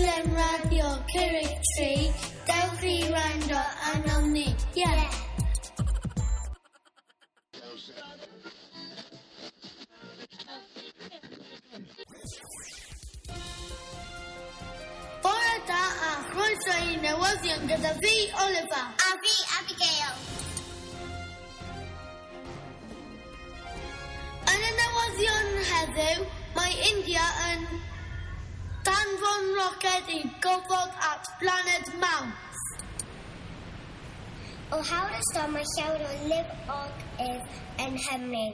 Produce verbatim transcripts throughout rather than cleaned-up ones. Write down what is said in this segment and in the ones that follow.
rhaglen radio Cerrig Tri. Dewch i wrando arnom ni. Ie! Yeah. Bore da a chroeso i newyddion gyda fi, Oliver. A fi, Abigail. Yn y newyddion heddiw, mae India yn danfon roced i gofod at blaned Mawrth. O hawl y storm mae llawer o lifogydd yn Nghymru.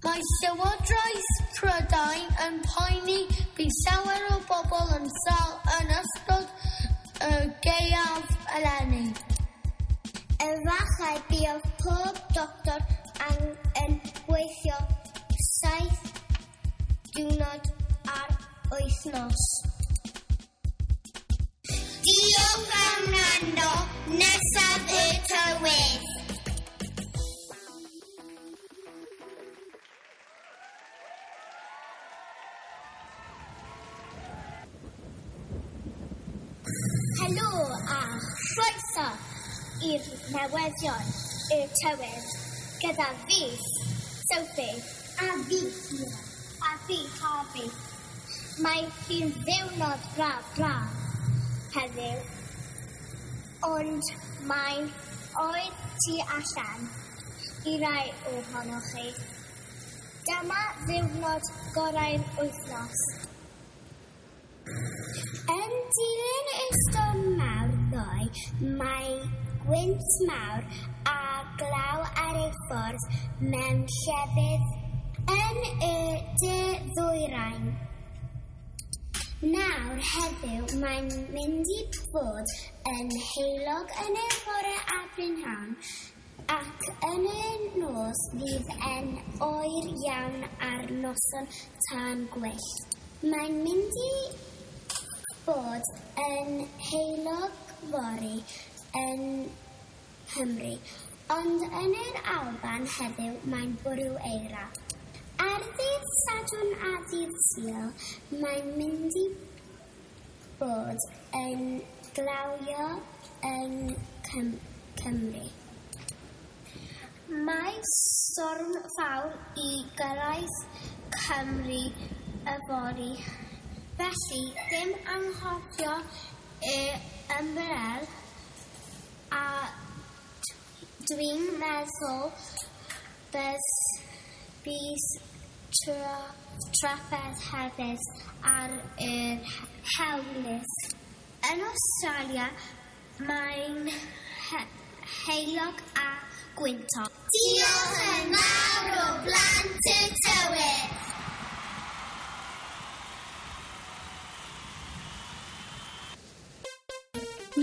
Mae Llywodraeth Prydain yn poeni bydd llawer o bobl yn sâl yn ystod y gaeaf eleni. Efallai bydd pob doctor yn gweithio saith diwrnod ar wythnos. Diolch am wrando, nesaf y tywydd. Helo a chroeso i'r newyddion y tywydd gyda fi, Sophie, a fi, Mira, a fi, Harvey. Mae hi'n ddiwrnod braf braf heddiw, ond mae'n oer tu allan i rai ohonoch chi. Dyma ddiwrnod gorau'r wythnos. Yn dilyn y storm mawr ddoe, mae gwynt mawr a glaw ar ei ffordd mewn llefydd yn y de ddwyrain. Nawr heddiw mae'n mynd i fod yn heulog yn y bore a prynhawn ac yn y nos fydd yn oer iawn ar noson tân gwyllt. Mae'n mynd i fod yn heulog fory yn Nghymru, ond yn yr Alban heddiw mae'n bwrw eira. Ar ddydd Sadwrn a ddydd Sul, mae'n mynd i bod yn glawio yn Cym- Cymru. Mae storm fawr i gyrraedd Cymru yfory, felly dim anghofio y ymbrel a dwi'n meddwl bydd bydd tra- trafferth hefyd ar yr hewlydd. Yn Awstralia mae'n he- heulog a gwyntog. Diolch yn fawr o blant y tywydd.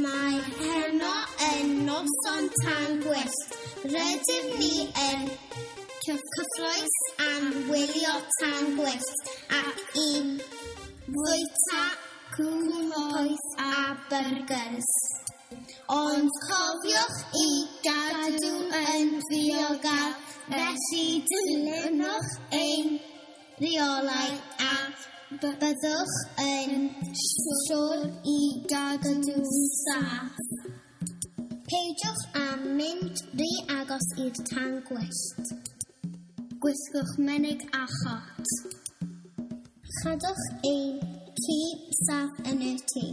Mae heno yn noson tân gwyllt. Rydym ni yn cyffrous am wylio tân gwyllt ac i fwyta cŵn poeth a byrgers. Ond cofiwch i gadw yn ddiogel, felly dilynwch ein rheolau a byddwch yn siŵr i gadw'n saff. Peidiwch â mynd rhy agos i'r tân gwyllt. Gwisgwch menig a chot. Chadwch ein ci saff yn y tŷ.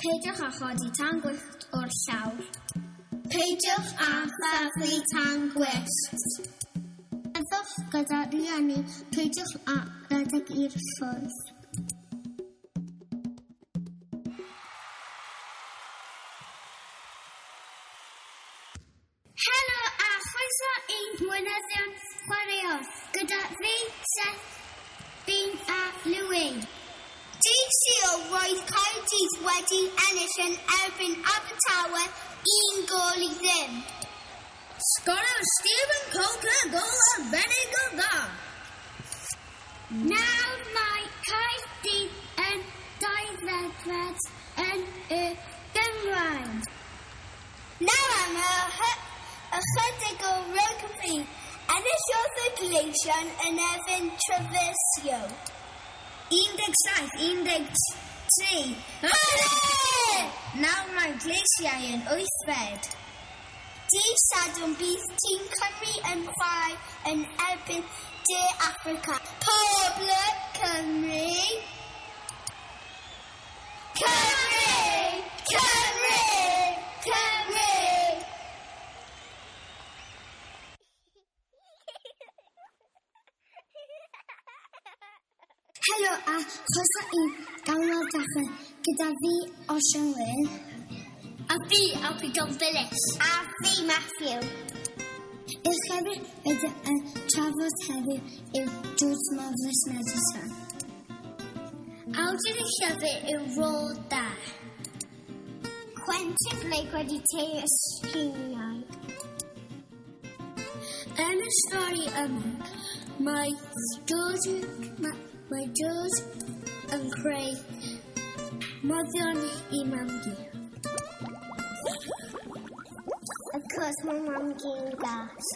Peidiwch â chodi tân gwyllt o'r llawr. Peidiwch â thaflu tân gwyllt. Byddwch gyda rhieni, peidiwch â rhedeg i'r ffwrdd. Helo a chroeso i'n newyddion chwaraeon gyda fi, Seth, Bean a Louis. Dydd Sul roedd Caerdydd wedi ennill yn erbyn Abertawe un gôl i ddim. Sgoriodd Stephen Coker gôl arbennig o dda. Nawr mae Caerdydd yn dauddegfed yn y gynghrair. Nawr am ychydig o rygbi. Enillodd y Gleision yn erbyn Trevisio. un deg saith, un deg tri. Hwrê! Nawr mae'r Gleisiau yn wythfed. Dydd Sadwrn bydd tîm Cymru yn chwarae yn erbyn De Affrica. Pob lwc, Cymru! Cymru! Cymru! Cymru! Helo a chroeso i Ganol Dachrau gyda fi, Osian Wyn. A fi, Alfie John Phillips. A fi, Matthew. Y llyfr rydym yn trafod heddiw yw George Marvellous Medicine. Awdur y llyfr yw Roald Dahl. Quentin Blake wedi teu ysgrifennu. Yn y stori yma, mae George, mae, mae George yn creu moddion i mam-gu. Of course, mae mam-gu'n gas.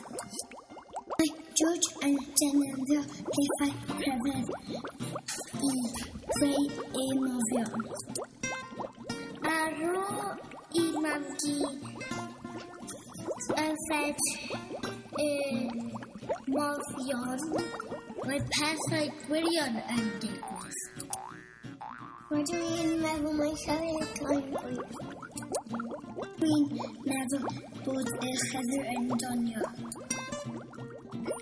Mae George yn defnyddio pethau rhyfedd i creu ei moddion. Ar ôl i mam-gu yfed y moddion, mae pethau gwirion yn digwydd. Rydw i'n meddwl mai llyfr gloi fwy. Dwi'n meddwl bod y llyfr yn doniol.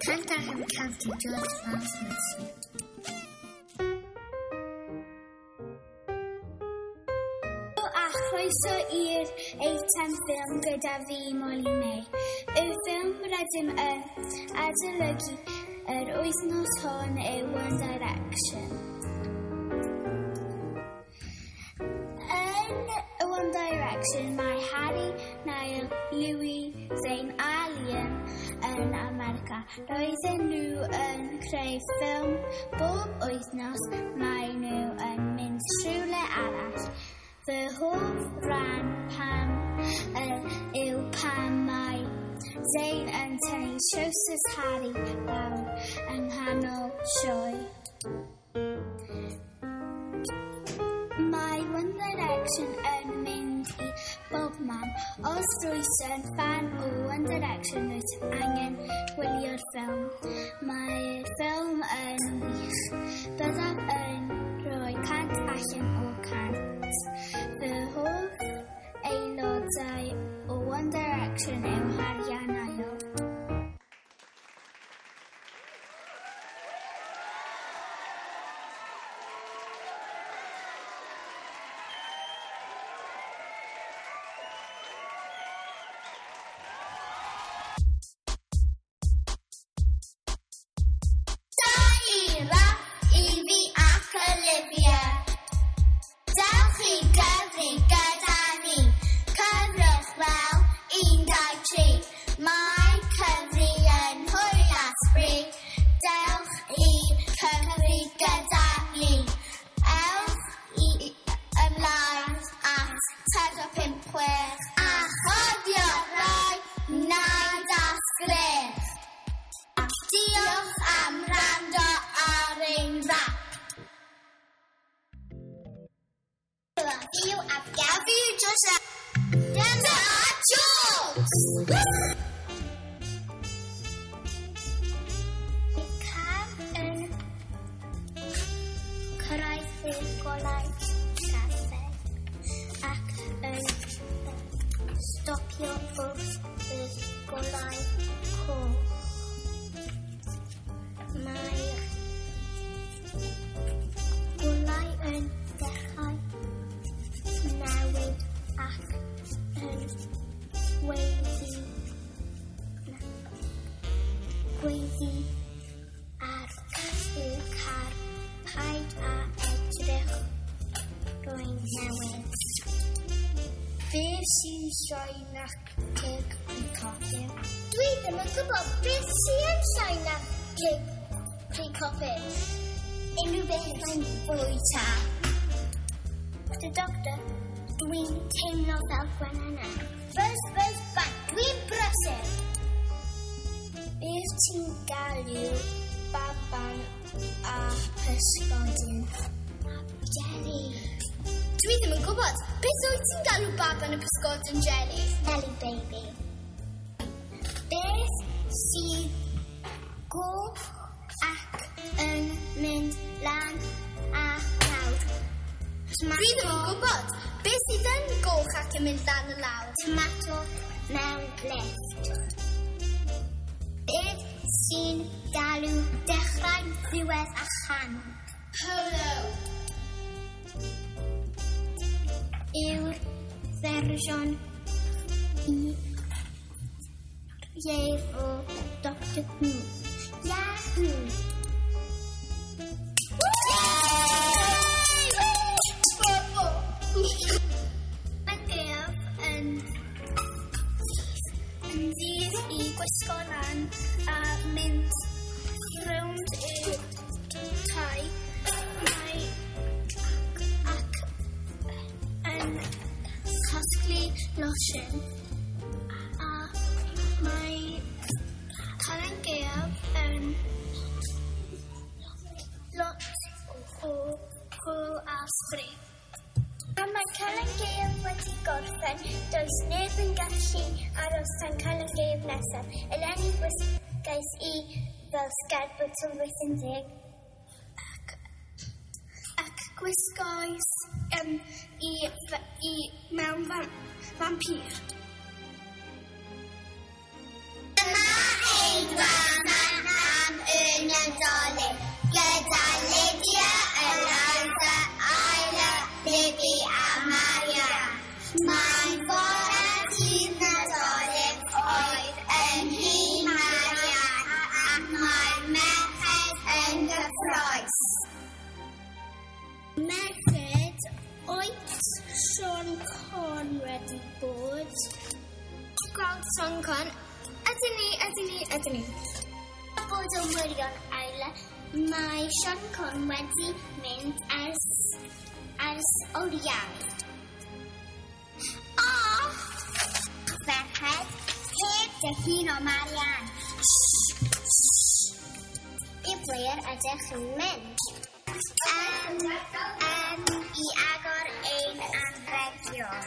Cant allan o cant i George Marvellous. A chroeso i'r eitem ffilm gyda fi, Molly May. Y ffilm rydym yn adolygu yr wythnos hon yw One Direction. Yn One Direction mae Harry, Niall, Louis, Zayn a Liam yn America. Roedden nhw yn creu ffilm bob wythnos, mae nhw yn mynd rhywle arall. Fy hoff ran pam uh, yw pam mae Zayn yn tynnu trowsus Harry lawr yng nghanol sioe. Mae One Direction yn mynd i bob man. Os rwyt yn ffan o One Direction, rwyt angen gwylio'r ffilm. Mae'r ffilm yn wych. Byddaf yn rhoi cant allan o cant. Fy hoff aelodau o One Direction yw Harry a Niall. Da i Raff, Evie ac Olivia. Dewch i gyfri gyda ni. Cyfrwch fel un, dau, tri. Mae cyfri yn hwyl a sbri. Dewch i cyfri gyda ni. Ewch i ymlaen at pedwar pump chwech a chofio rhoi naid a sgrech. Diolch am wrando ar ein rap. Fi yw Abigail, fi yw Josiah. Dyma jokes! Mae car yn cyrraedd y golau traffig ac yn stopio wrth y golau coch. Mae'r golau yn dechrau newid ac yn gweiddi, na, gweiddi ar y car. Paid â edrych, rwy'n newid. Beth sy'n llai na cig yn cofio? Dwi ddim yn gwybod beth sy'n llai na cig pry cofio. Unrhyw beth mae'n bwyta. The doctor, dwi'n teimlo fel gwenana. Buzz, buzz, bang, dwi'n brysur. Beth ti'n galw baban a pysgodyn? Jelly. Dwi ddim yn gwybod. Beth wyt ti'n galw baban y pysgodyn jelly? Jelly baby. Beth sydd goch ac yn mynd lan a lawr? Dwi ddim yn gwybod. Beth sydd yn goch ac yn mynd lan a lawr? Tomato mewn lift. Beth sy'n galw dechrau, ddiwedd a chanol? Polo. Yw'r fersiwn i ieir o Doctor Who. Yahoo! Mae gaeaf yn yn ddydd i gwisgo lan a mynd rownd y tai. Mae ac yn casglu losin a mae Calan Gaeaf yn lot o hwyl a sbri. A mae Calan Gaeaf wedi gorffen, does neb yn gallu aros tan Calan Gaeaf nesaf. Eleni gwisgais i fel sgerbwd tylwyth yn deg ac, ac gwisgoes um, i, i mewn fam, vampir. Dyma ein gwefan am y Nadolig gyda Lydia, Eliza, Isla, Libby a Maria. Mae'n fore dydd Nadolig oedd yn nhŷ Marian ac mae'r merched yn gyffrous. Merched, oes Siôn Corn wedi bod? Gweld Siôn Corn? Ydyn ni, ydyn ni, ydyn ni. Bod yn wirion, Isla, mae Siôn Corn wedi mynd ers, ers oriau. O! Ferched, heb dy hun o Marian. I ble ydych chi'n mynd? Um, um, i agor ein anrhegion.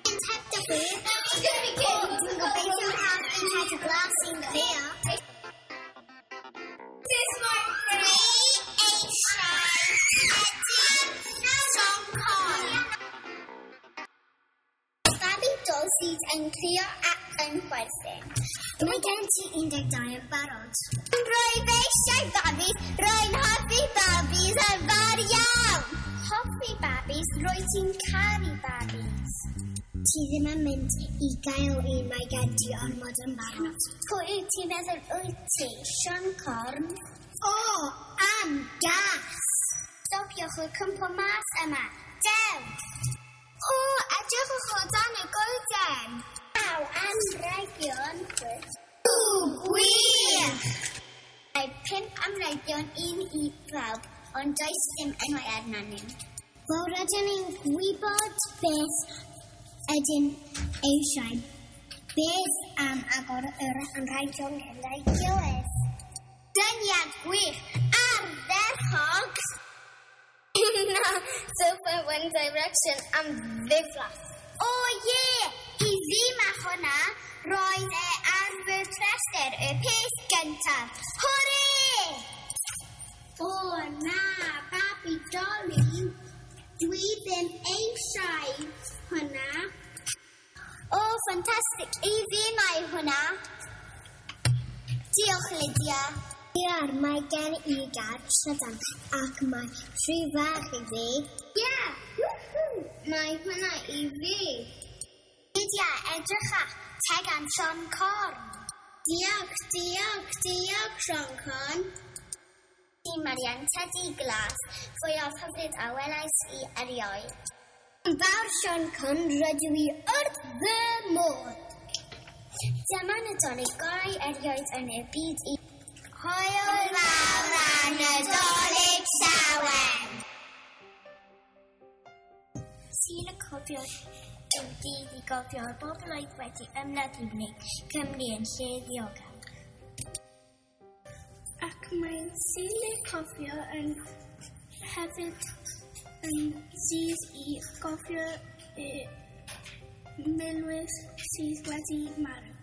Mynd heb dy hun? O, dwi'n gobeithio cael un teddy glas sy'n crio. Dwi eisiau tedi Siôn Corn. Babi dol sydd yn crio ac yn chwerthin. Mae gen ti un deg dau yn barod. Rwyf eisiau babis, rwy'n hoffi babis yn fawr iawn. Hoffi babis, rwy ti'n caru babis. Ti ddim yn mynd i gael un, mae gen ti ormod yn barod. Pwy wyt ti'n meddwl wyt ti, Siôn Corn? O, am gas! Stopiwch y cwmpo mas yma. Dew! O, edrychwch o dan y goeden. Aw, anrhegion. O, gwych! Mae pump anrhegion, un i bawb, ond does dim enwau arnyn nhw. Wel, rydyn ni'n gwybod beth ydyn eisiau. Beth am agor yr anrhegion gyda'i gilydd? Syniad gwych! Ardderchog! Na, sofa One Direction am ddiflas. O ie! I fi mae hwnna, roedd e ar fy rhestr y peth gyntaf. Hwrê! O na, babi Dolly, dwi ddim eisiau hwnna. O, ffantastig, i fi mae hwnna. Diolch, Lydia. Diar, mae gen i gar trydan ac mae rhy fach i fi. Ie, woohoo, mae hwnna i fi. Lydia, edrycha, tegan Siôn Corn. Diolch, diolch, diolch, Siôn Corn. Di Marian, tedi glas, fwyaf hyfryd a welais i erioed. Yn fawr Siôn Corn, rydw i wrth fy modd. Dyma Nadolig gorau erioed yn y byd i... Hwyl fawr a Nadolig llawen! Sul y cofio yw dydd i gofio'r bobl oedd wedi ymladd i wneud Cymru yn lle ddiogel. Ac mae Sul y Cofio yn hefyd yn ddydd i gofio y milwyr sydd wedi marw.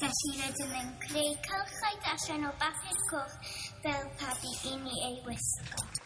Felly rydym yn creu cylchau allan o bapur coch fel pabi i ni ei wisgo.